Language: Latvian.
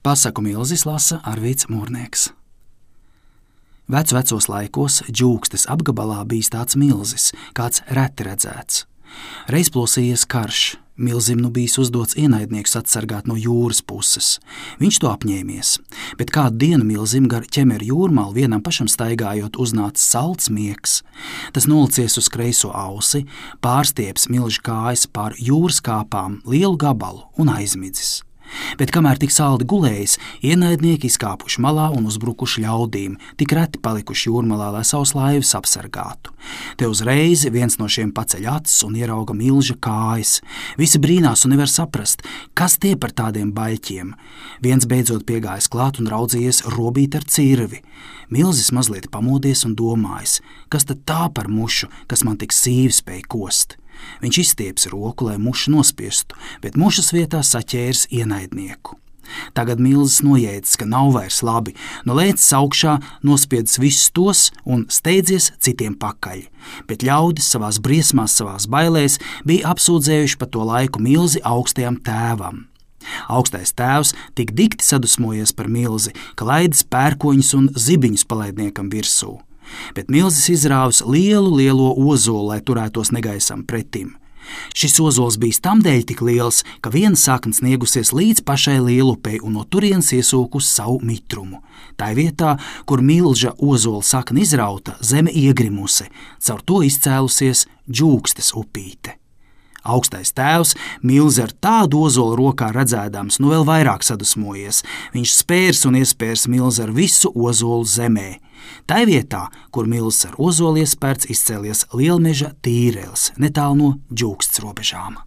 Pasaku milzis lasa Arvīds Mūrnieks. Vecos laikos Džūkstes apgabalā bijis tāds milzis, kāds reti redzēts. Reiz plosījies karš, milzim nu bijis uzdots ienaidnieks atsargāt no jūras puses. Viņš to apņēmies, bet kādu dienu milzim gar ķemeru jūrmalu vienam pašam staigājot uznāca salds miegs. Tas nolicies uz kreiso ausi, pārstieps milža kājas pār jūras kāpām lielu gabalu un aizmidzis. Bet kamēr tik saldi gulējis, ienaidnieki izkāpuši malā un uzbrukuši ļaudīm, tik reti palikuši jūrmalā, lai savus laivas apsargātu. Te uzreiz viens no šiem paceļ acis un ierauga milža kājas. Visi brīnās un nevar saprast, kas tie par tādiem baļķiem. Viens beidzot piegājis klāt un raudzījies robīt ar cirvi. Milzis mazliet pamodies un domājis, kas tad tā par mušu, kas man tik sīvi spēj kost. Viņš izstieps roku, lai mušu nospiestu, bet mušas vietā saķēris ienaidnieku. Tagad milzis nojēdzis, ka nav vairs labi, no lēcis augšā, nospiedis visus tos un steidzies citiem pakaļ. Bet ļaudis savās briesmās, savās bailēs bija apsūdzējuši pa to laiku milzi augstajam tēvam. Augstais tēvs tik dikti sadusmojies par milzi, ka laidis pērkoņus un zibiņus palaidniekam virsū. Bet milzis izrāvis lielo ozolu, lai turētos negaisam pretim. Šis ozols bijis tamdēļ tik liels, ka viena sakne sniegusies līdz pašai lielupei un no turienes iesūkus savu mitrumu. Tā vietā, kur milža ozola sakne izrauta, zeme iegrimusi, caur to izcēlusies Džūkstes upīte. Augstais tēvs milzi ar tādu ozolu rokā redzēdams, nu vēl vairāk sadusmojies. Viņš spērs un iespērs milzi ar visu ozolu zemē. Tai vietā, kur milzis ar ozolu iespērts, izcēlies lielmeža tīrelis, netālu no Džūkstes robežām.